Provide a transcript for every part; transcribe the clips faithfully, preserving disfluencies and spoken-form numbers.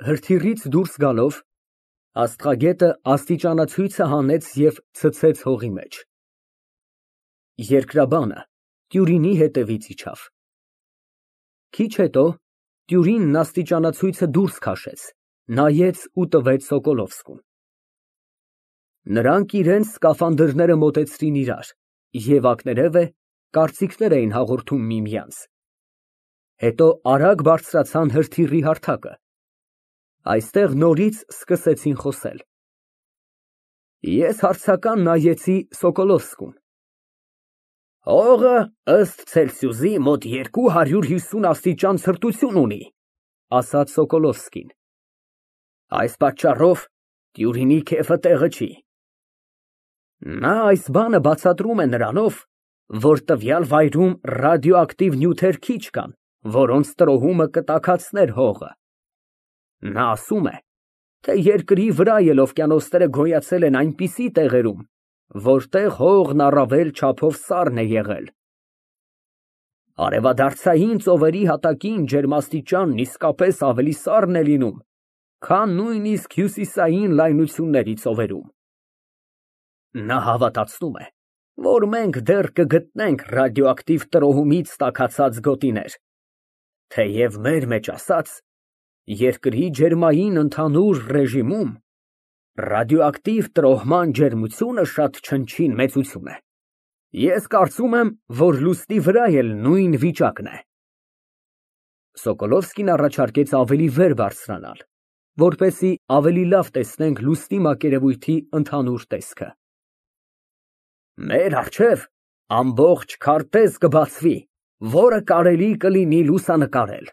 Հրթիռից դուրս գալով, աստղագետը աստիճանացույցը հանեց և ցցեց հողի մեջ։ Երկրաբանը տյուրինի հետևից իջավ։ Քիչ հետո տյուրինն աստիճանացույցը դուրս քաշեց, նայեց ու տվեց Սոկոլովսկուն։ Նրանք իրենց սկաֆանդրները մոտեցրին իրար և ակներևը կարծիքներ էին հաղորդում միմյանց, հետո արագ բարձրացան հրթիռի հարթակը, այստեղ նորից սկսեցին խոսել։ Ես հարցական նայեցի Սոկոլովսկուն։ Հողը, ըստ Ցելսիուսի, մոտ երկու հարյուր հիսուն աստիճան ցրտություն ունի, ասաց Սոկոլովսկին։ Այս պատճառով տյուրինի քեֆը տեղը չի։ Նա այս բանը բացատրում է նրանով, որ տվյալ վայրում ռադիոակտիվ նյութեր քիչ կան, որոնց տրոհումը կտաքացներ հողը։ Նա ասում է, թե երկրի վրա էլ օվկիանոսները գոյացել են այնպիսի տեղերում, որտեղ հողն առավել չափով սառն է եղել։ Արևադարձային ծովերի հատակին ջերմաստիճանն իսկապես ավելի սառն է լինում, քան նույնիսկ հյուսիսային լայնությունների ծովերում։ Նա հավատացնում է, որ մենք դեռ կգտնենք ռադիոակտիվ տրոհումից տաքացած գոտիներ, թեև մեր մեջ ասած, երկրի ջերմային ընդհանուր ռեժիմում ռադիոակտիվ տրոհման ջերմությունը շատ չնչին մեծություն է։ Ես կարծում եմ, որ լուսնի վրա էլ նույն վիճակն է։ Սոկոլովսկին առաջարկեց ավելի վեր բարձրանալ, որպեսզի ավելի լավ տեսնենք լուսնի մակերևույթի ընդհանուր տեսքը։ Մեր առջև ամբողջ քարտեզ կբացվի, որը կարելի կլինի լուսանկարել,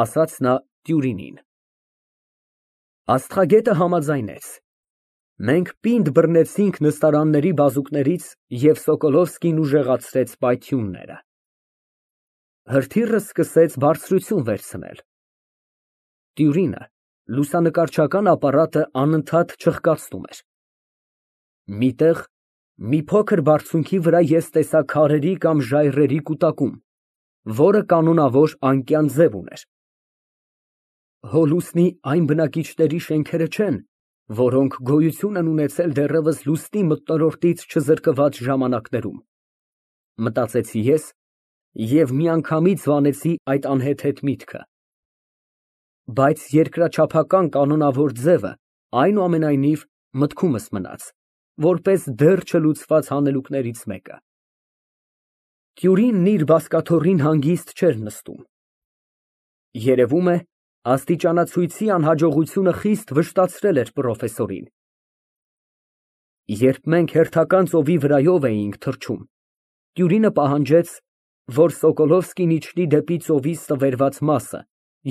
ասաց նա տյուրինին։ Աստղագետը համաձայնեց։ Մենք պինդ բռնեցինք նստարանների բազուկներից և Սոկոլովսկին ուժեղացրեց պայթյունները։ Հրթիռը սկսեց բարձրություն վերցնել։ Տյուրինը լուսանկարչական ապարատը անընդհատ չղկացնում էր։ Միտեղ, մի փոքր բարձունքի վրա ես տեսա քարերի կամ ժայռերի կուտակում, որը կանոնավոր անկյան ձև ուներ։ Հո լուսնի այն բնակիչների շենքերը չեն, որոնք գոյություն են ունեցել դեռևս լուսնի մթնոլորտից չզրկված ժամանակներում, մտածեցի ես և միանգամից վանեցի այդ անհեթեթ միտքը։ Բայց երկրաչափական կանոնավոր ձևը այնուամենայնիվ մտքումս մնաց, որպես դեռ չլուծված հանելուկներից մեկը։ Տյուրինն իր բազկաթոռին հանգիստ չէր նստում։ Երևում է, աստիճանացույցի անհաջողությունը խիստ վշտացրել էր պրոֆեսորին։ Երբ մենք հերթական ծովի վրայով էինք թռչում, տյուրինը պահանջեց, որ Սոկոլովսկին իջնի դեպի ծովի ստվերված մասը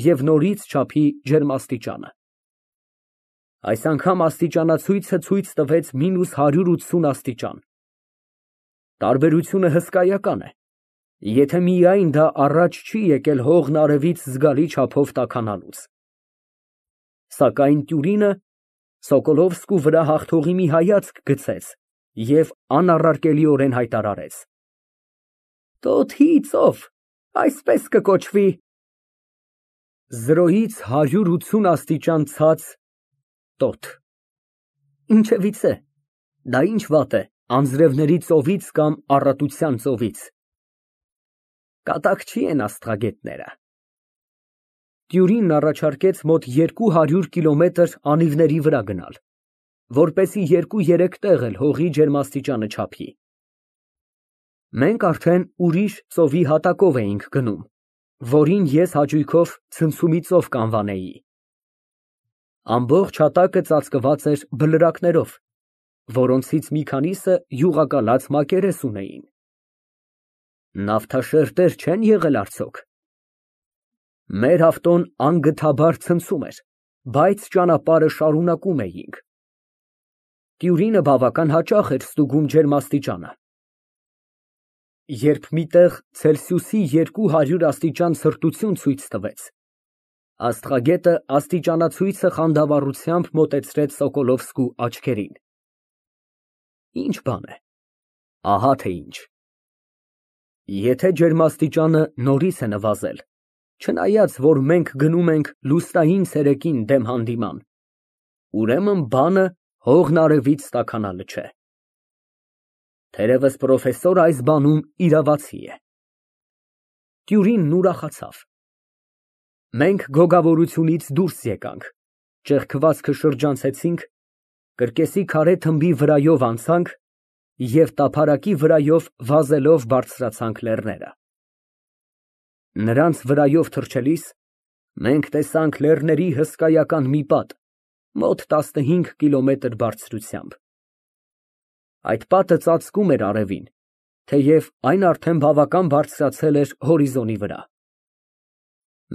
և նորից չափի ջերմաստիճանը։ Այս անգամ աստիճանացույցը ցույց տվեց մինուս հարյուր ութսուն աստիճան։ Տարբերությունը հսկայական է, եթե միայն դա առաջ չի եկել հողն արևից զգալի չափով տաքանալուց։ Սակայն տյուրինը Սոկոլովսկու վրա հաղթողի մի հայացք գցեց և անառարկելիորեն հայտարարեց. Տոթի ծով, այսպես կկոչվի։ Զրոյից հարյուր ութսուն աստիճան ցած, տոթ։ Ինչևիցե, դա ինչ վատ է անձրևների ծովից կամ առատության ծովից։ Կատակչի են աստղագետները։ Տյուրինն առաջարկեց մոտ երկու հարյուր կիլոմետր անիվների վրա գնալ, որպեսզի երկու֊երեք տեղ էլ հողի ջերմաստիճանը չափի։ Մենք արդեն ուրիշ ծովի հատակով էինք գնում, որին ես հաճույքով ցնցումի ծով կանվանեի։ Ամբողջ հատակը ծածկված էր բլրակներով, որոնցից մի քանիսը յուղակալած մակերես ունեին։ Նավթաշերտեր չեն եղել արդյոք։ Մեր ավտոն անգթաբար ցնցում էր, բայց ճանապարհը շարունակում էինք։ Տյուրինը բավական հաճախ էր ստուգում ջերմաստիճանը։ Երբ մի տեղ Ցելսիուսի երկու հարյուր աստիճան ցրտություն ցույց տվեց, աստղագետը աստիճանացույցը խանդավառությամբ մոտեցրեց Սոկոլովսկու աչքերին։ Ինչ բան է, ահա թե ինչ։ Եթե ջերմաստիճանը նորից է նվազել, Չնայած, որ մենք գնում ենք լուսնային ցերեկին դեմ հանդիման, ուրեմն բանը հողն արևից տաքանալը չէ։ Թերևս պրոֆեսորը այս բանում իրավացի է։ Տյուրինն ուրախացավ։ Մենք գոգավորությունից դուրս եկանք, ճեղքվածքը շրջանցեցինք, կրկեսի քարե թմբի վրայով անցանք և տափարակի վրայով վազելով բարձրացանք լեռները։ Նրանց վրայով թռչելիս մենք տեսանք լեռների հսկայական մի պատ, մոտ տասնհինգ կիլոմետր բարձրությամբ։ Այդ պատը ծածկում էր արևին, թեև այն արդեն բավական բարձրացել էր հորիզոնի վրա։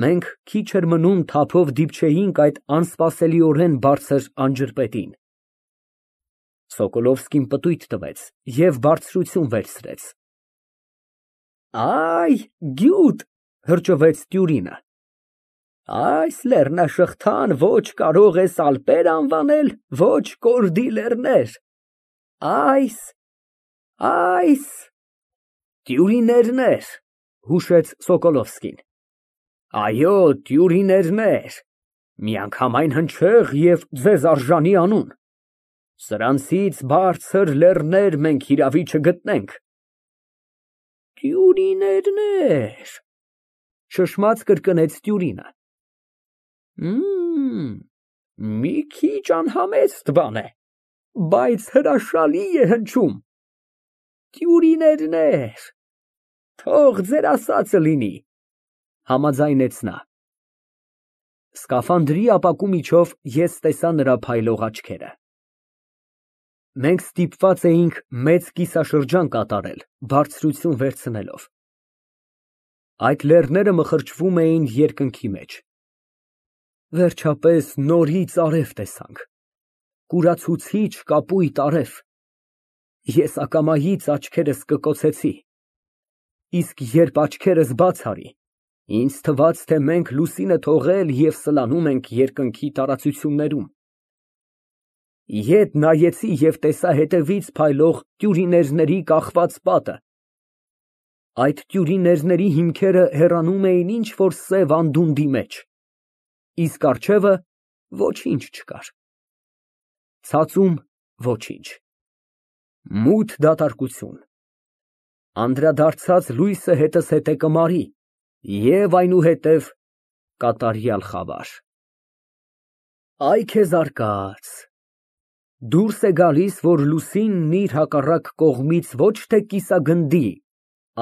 Մենք քիչ էր մնում թափով դիպչեինք այդ անսպասելիորեն բարձր անջրպետին։ Սոկոլովսկին պտույտ տվեց և բարձրություն վերցրեց։ Այ, գյուտ, հրճվեց Տյուրինը, այս լեռնաշղթան ոչ կարող ես ալպեր անվանել, ոչ կորդի լեռներ, այս, այս… Տյուրիներներ, հուշեց Սոկոլովսկին, այո, տյուրիներներ, միանգամայն հնչեղ և ձեզ արժանի անուն, սրանցից բարձր լեռներ մենք հիրավի չգտնենք։ Տյուրիներներ, շշմած կրկնեց Տյուրինը, մի քիչ անհամեստ բան է, բայց հրաշալի է հնչում, տյուրիներներ, թող ձեր ասածը լինի, համաձայնեց նա։ Սկաֆանդրի ապակու միջով ես տեսա նրա փայլող աչքերը։ Մենք ստիպված էինք մեծ կիսաշրջան կատարել, բարձրություն վերցնելով։ Այդ լեռները մխրճվում էին երկնքի մեջ։ Վերջապես նորից արև տեսանք, կուրացուցիչ կապույտ արև։ Ես ակամայից աչքերս կկոցեցի, իսկ երբ աչքերս բաց արի, ինձ թվաց, թե մենք լուսինը թողել և սլանում ենք երկնքի տարածություններում։ Ետ նայեցի և տեսա հետևից փայլող տյուրիներների կախված պատը։ Այդ տյուրիներների հիմքերը հեռանում էին ինչ֊որ սև անդունդի մեջ, իսկ առջևը ոչինչ չկար, ցածում ոչինչ, մութ դատարկություն, անդրադարձած լույսը հետզհետե կմարի և այնուհետև կատարյալ խավար։ Այ քեզ արկած, դուրս է գալիս, որ լուսինն իր հակառակ կողմից ոչ թե կիսագնդի,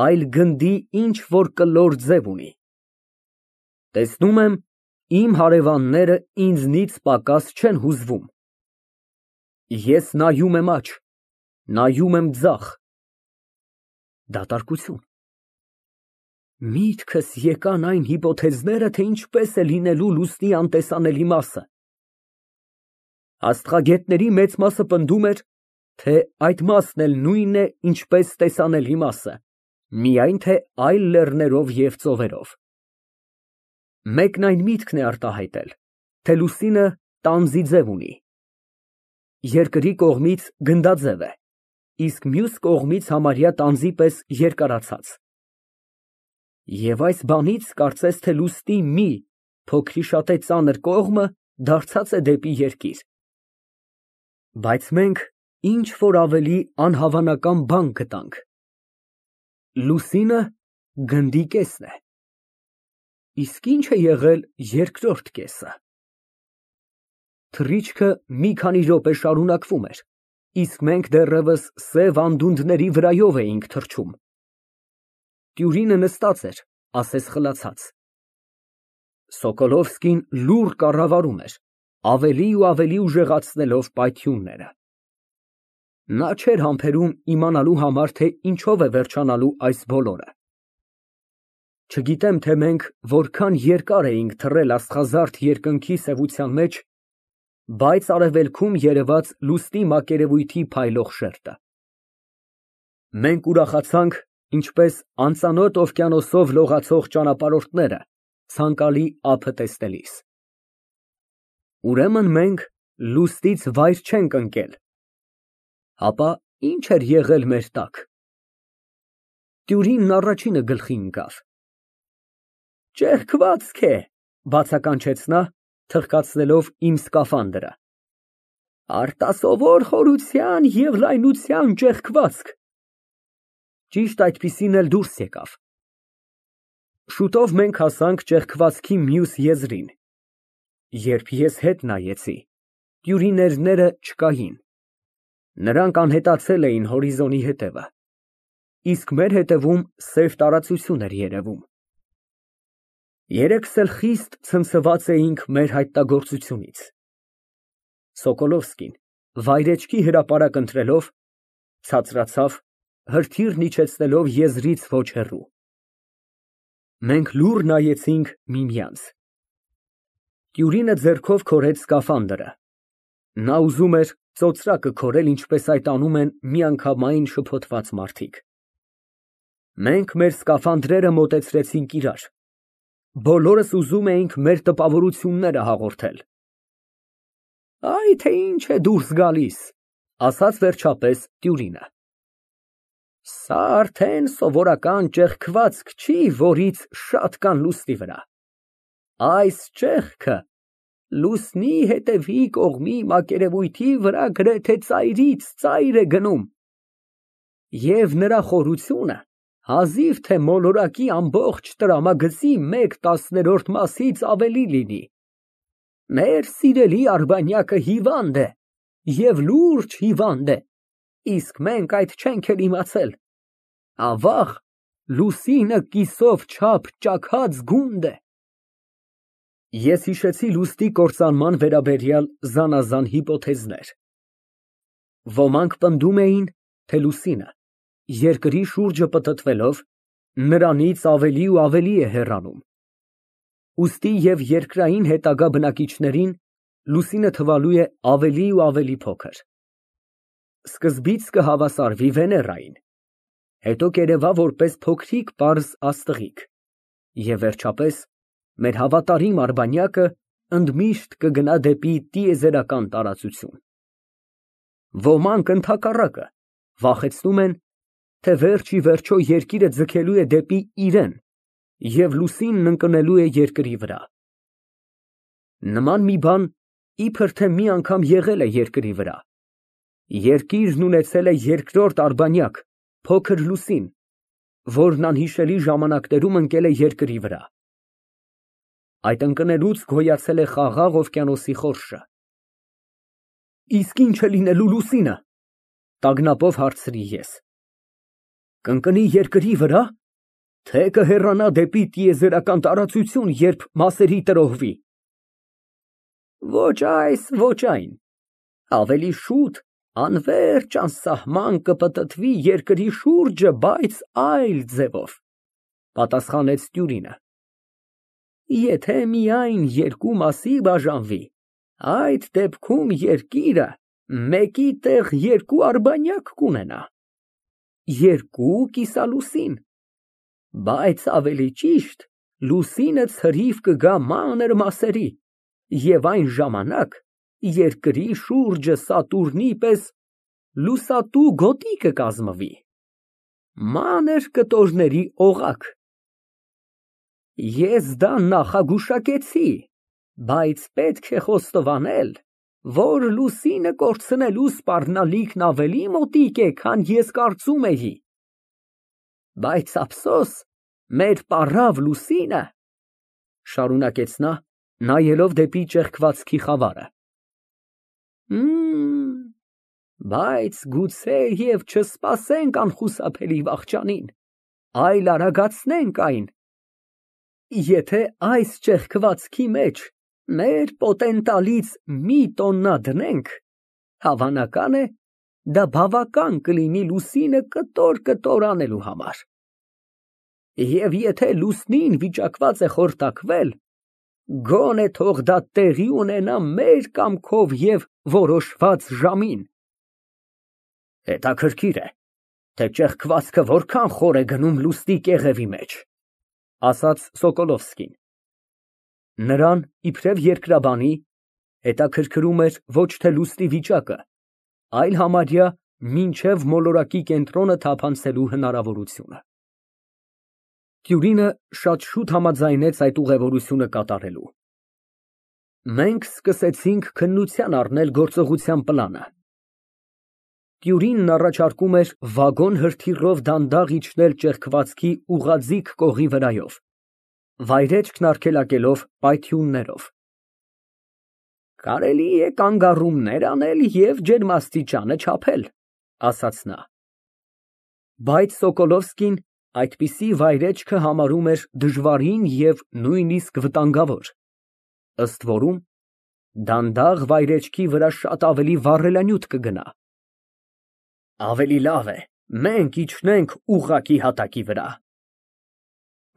այլ գնդի ինչ֊որ կլոր ձև ունի։ Տեսնում եմ, իմ հարևանները ինձնից պակաս չեն հուզվում։ Ես նայում եմ աջ, նայում եմ ձախ։ Դատարկություն։ Միտքս եկան այն հիպոթեզները, թե ինչպես է լինելու լուսնի անտեսանելի մասը։ Աստղագետների մեծ մասը պնդում էր, թե այդ մասն էլ նույնն է, ինչպես տեսանելի մասը, միայն թե այլ լեռներով և ծովերով։ Մեկն այն միտքն է արտահայտել, թե լուսինը տանձի ձև ունի, երկրի կողմից գնդաձև է, իսկ մյուս կողմից համարյա տանձի պես երկարացած։ Եվ այս բանից կարծես թե լուսնի մի փոքրիշատե ծանր կողմը դարձած է դեպի երկիր։ Բայց մենք ինչ֊որ ավելի անհավանական բան գտանք. լուսինը գնդի կեսն է, իսկ ի՞նչ է եղել երկրորդ կեսը։ Թռիչքը մի քանի րոպե շարունակվում էր, իսկ մենք դեռևս սև անդունդների վրայով էինք թռչում։ Տյուրինը նստած էր, ասես խլացած։ Սոկոլովսկին լուռ կառավարում էր, ավելի ու ավելի ուժեղացնելով պայթյունները։ Նա չէր համբերում իմանալու համար, թե ինչով է վերջանալու այս բոլորը։ Չգիտեմ, թե մենք որքան երկար էինք թռել աստղազարդ երկնքի սևության մեջ, բայց արևելքում երևաց լուսնի մակերևույթի փայլող շերտը։ Մենք ուրախացանք, ինչպես անծանոթ օվկիանոսով լողացող ճանապարհորդները ցանկալի ափը տեսնելիս։ Ուրեմն մենք լուսնից վայր չենք ընկել, ապա ի՞նչ էր եղել մեր տակ։ Տյուրինն առաջինը գլխի ընկավ։ Ճեղքվածք է, բացականչեց նա, թղկացնելով իմ սկաֆանդրը։ Արտասովոր խորության և լայնության ճեղքվածք։ Ճիշտ այդպիսին էլ դուրս եկավ։ Շուտով մենք հասանք ճեղքվածքի մյուս եզրին։ Երբ ես հետ նայեցի, տյուրիներները չկային, նրանք անհետացել էին հորիզոնի հետևը, իսկ մեր հետևում սև տարածություն էր երևում։ Երեքս էլ խիստ ցնցված էինք մեր հայտնագործությունից։ Սոկոլովսկին, վայրեջքի հրապարակ ընտրելով, ցածրացավ, հրթիռն իջեցնելով եզրից ոչ հեռու։ Մենք լուռ նայեցինք միմյանց։ Տյուրինը ձեռքով քորեց սկաֆանդրը։ Նա ուզում էր ծոծրակը քորել, ինչպես այդ անում են միանգամայն շփոթված մարդիկ։ Մենք մեր սկաֆանդրերը մոտեցրեցինք իրար։ Բոլորս ուզում էինք մեր տպավորությունները հաղորդել։ Այ թե ինչ է դուրս գալիս, ասաց վերջապես տյուրինը։ Սա արդեն սովորական ճեղքվածք չի, որից շատ կան լուսնի վրա։ Այս ճեղքը լուսնի հետևի կողմի մակերևույթի վրա գրեթե ծայրից ծայր է գնում, և նրա խորությունը հազիվ թե մոլորակի ամբողջ տրամագծի մեկ տասներորդ մասից ավելի լինի։ Մեր սիրելի Արբանյակը հիվանդ է և լուրջ հիվանդ է, իսկ մենք այդ չենք էլ իմացել։ Ավաղ, լուսինը կիսով չափ ճաքած գունդ է։ Ես հիշեցի լուսնի կործանման վերաբերյալ զանազան հիպոթեզներ։ Ոմանք պնդում էին, թե լուսինը, երկրի շուրջը պտտվելով, նրանից ավելի ու ավելի է հեռանում։ Ուստի և երկրային հետագա բնակիչներին լուսինը թվալու է ավելի ու ավելի փոքր։ Սկզբից կհավասարվի Վեներային, հետո կերևա որպես փոքրիկ պարզ աստղիկ, և վերջապես մեր հավատարիմ Արբանյակը ընդմիշտ կգնա դեպի տիեզերական տարածություն։ Ոմանք ընդհակառակը վախեցնում են, թե վերջ ի վերջո երկիրը ձգելու է դեպի իրեն և լուսինն ընկնելու է երկրի վրա։ Նման մի բան իբր թե մի անգամ եղել է երկրի վրա։ Երկիրն ունեցել է երկրորդ արբանյակ, փոքր լուսին, որն անհիշելի ժամանակներում ընկել է երկրի վրա։ Այդ ընկնելուց գոյացել է Խաղաղ օվկիանոսի խորշը։ Իսկ ի՞նչ է լինելու լուսինը, տագնապով հարցրի ես։ Կընկնի երկրի վրա, թե կհեռանա դեպի տիեզերական տարածություն, երբ մասերի տրոհվի։ Ոչ այս, ոչ այն, ավելի շուտ անվերջ անսահման կպտտվի երկրի շուրջը, բայց այլ ձևով, պատասխանեց տյուրինը։ Եթե միայն երկու մասի բաժանվի, այդ դեպքում երկիրը մեկի տեղ երկու արբանյակ կունենա, երկու կիսալուսին, բայց ավելի ճիշտ լուսինը ցրիվ կգա մանր մասերի, և այն ժամանակ երկրի շուրջը Սատուրնի պես լուսատու գոտի կկազմվի, մանր կտորների օղակ։ Ես դա նախագուշակեցի, բայց պետք է խոստովանել, որ լուսինը կորցնելու սպառնալիքն ավելի մոտիկ է, քան ես կարծում էի։ Բայց ափսոս, մեր պառավ լուսինը, շարունակեց նա, նայելով դեպի ճեղքվածքի խավարը, բայց գուցե և չսպասենք անխուսափելի վախճանին, այլ արագացնենք այն։ Եթե այս ճեղքվածքի մեջ մեր պոտենտալից մի տոննա դնենք, հավանական է, դա բավական կլինի լուսինը կտոր֊կտոր անելու համար։ Եվ եթե լուսնին վիճակված է խորտակվել, գոնե թող դա տեղի ունենա մեր կամքով և որոշված ժամին։ Հետաքրքիր է, թե ճեղքվածքը որքան խոր է գնում լուսնի կեղևի մեջ, ասաց Սոկոլովսկին։ Նրան, իբրև երկրաբանի, հետաքրքրում էր ոչ թե լուսնի վիճակը, այլ համարյա մինչև մոլորակի կենտրոնը թափանցելու հնարավորությունը։ Տյուրինը շատ շուտ համաձայնեց այդ ուղևորությունը կատարելու։ Մենք սկսեցինք քննության առնել գործողության պլանը։ Տյուրինն առաջարկում էր վագոն հրթիռով դանդաղ իջնել ճեղքվածքի ուղղաձիգ կողի վրայով, վայրեջքն արգելակելով պայթյուններով։ Կարելի է կանգառումներ անել և ջերմաստիճանը չափել, ասաց նա։ Բայց Սոկոլովսկին այդպիսի վայրեջքը համարում էր դժվարին և նույնիսկ վտանգավոր, ըստ որում դանդաղ վայրեջքի վրա շատ ավելի վառելանյութ կգնա։ Ավելի լավ է մենք իջնենք ուղղակի հատակի վրա։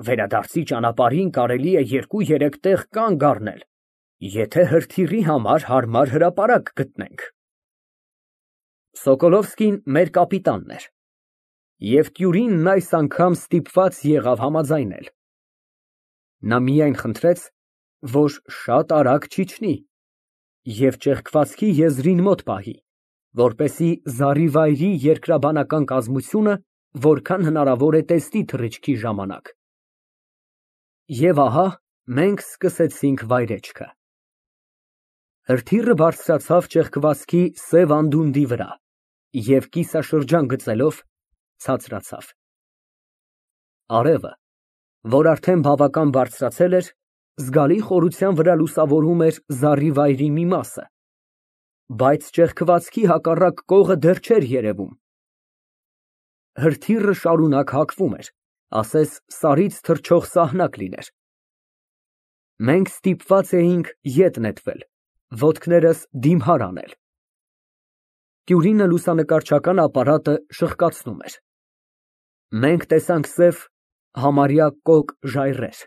Վերադարձի ճանապարհին կարելի է երկու֊երեք տեղ կանգ առնել, եթե հրթիռի համար հարմար հրապարակ գտնենք։ Սոկոլովսկին մեր կապիտանն էր, և Տյուրինն այս անգամ ստիպված եղավ համաձայնել։ Նա միայն խնդրեց, որ շատ արագ չիջնի և ճեղքվածքի եզրին մոտ պահի, որպեսզի զառիվայրի երկրաբանական կազմությունը որքան հնարավոր է տեսնի թռիչքի ժամանակ։ Եվ ահա մենք սկսեցինք վայրեջքը։ Հրթիռը բարձրացավ ճեղքվածքի սև անդունդի վրա և կիսաշրջան գծելով ցածրացավ։ Արևը, որ արդեն բավական բարձրացել էր, զգալի խորության վրա լուսավորում էր զառիվայրի մի մասը, բայց ճեղքվածքի հակառակ կողը դեռ չէր երևում։ Հրթիռը շարունակ հակվում էր, ասես սարից թռչող սահնակ լիներ։ Մենք ստիպված էինք ետ նետվել, ոտքներս դիմհար անել։ Տյուրինը լուսանկարչական ապարատը շղկացնում էր։ Մենք տեսանք սև, համարյա կոկ ժայռեր։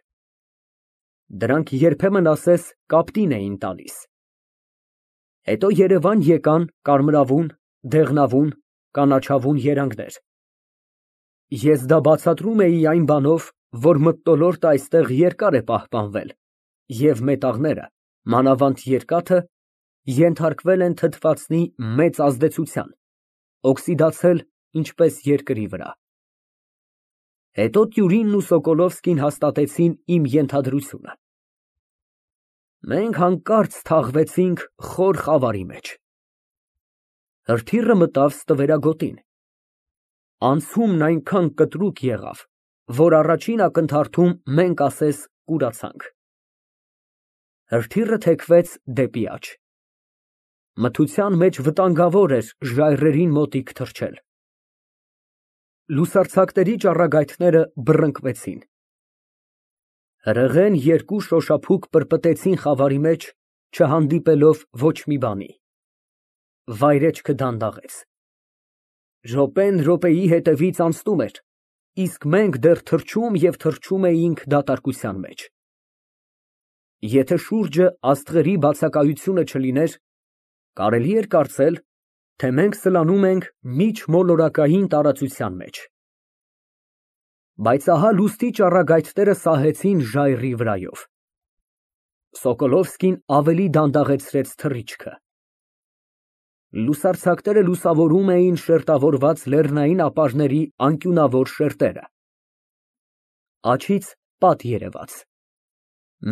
Դրանք երբեմն ասես կապտին էին տալիս։ Հետո երևան եկան կարմրավուն, դեղնավուն, կանաչավուն երանգներ։ Ես դա բացատրում էի այն բանով, որ մթնոլորտը այստեղ երկար է պահպանվել, և մետաղները, մանավանդ երկաթը, ենթարկվել են թթվածնի մեծ ազդեցության, օքսիդացել ինչպես երկրի վրա։ Հետո Տյուրինն ու Սոկոլովսկին հաստատեցին իմ ենթադրությունը։ Մենք հանկարծ թաղվեցինք խոր խավարի մեջ։ Հրթիռը մտավ ստվերագոտին։ Անցումն այնքան կտրուկ եղավ, որ առաջին ակնթարթում մենք ասես կուրացանք։ Հրթիռը թեքվեց դեպի աջ։ Մթության մեջ վտանգավոր էր ժայռերին մոտիկ թռչել։ Լուսարձակների ճառագայթները բռնկվեցին։ Հրեղեն երկու շոշափուկ պրպտեցին խավարի մեջ, չհանդիպելով ոչ մի բանի։ Վայրեջքը դանդաղեց։ Րոպեն րոպեի հետևից անցնում էր, իսկ մենք դեռ թռչում և թռչում էինք դատարկության մեջ։ Եթե շուրջը աստղերի բացակայությունը չլիներ, կարելի էր կարծել, թե մենք սլանում ենք միջմոլորակային տարածության մեջ։ Բայց ահա լուսնի ճառագայթները սահեցին ժայռի վրայով։ Սոկոլովսկին ավելի դանդաղեցրեց թռիչքը։ Լուսարձակները լուսավորում էին շերտավորված լեռնային ապարների անկյունավոր շերտերը։ Աջից պատ երևաց։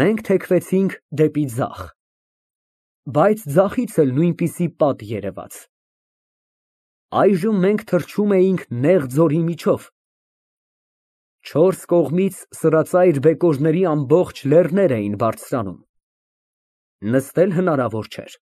Մենք թեքվեցինք դեպի ձախ, բայց ձախից էլ նույնպիսի պատ երևաց։ Այժմ մենք թռչում էինք նեղ ձորի միջով։ Չորս կողմից սրածայր բեկորների ամբողջ լեռներ էին բարձրանում։ Նստել հնարավոր չէր։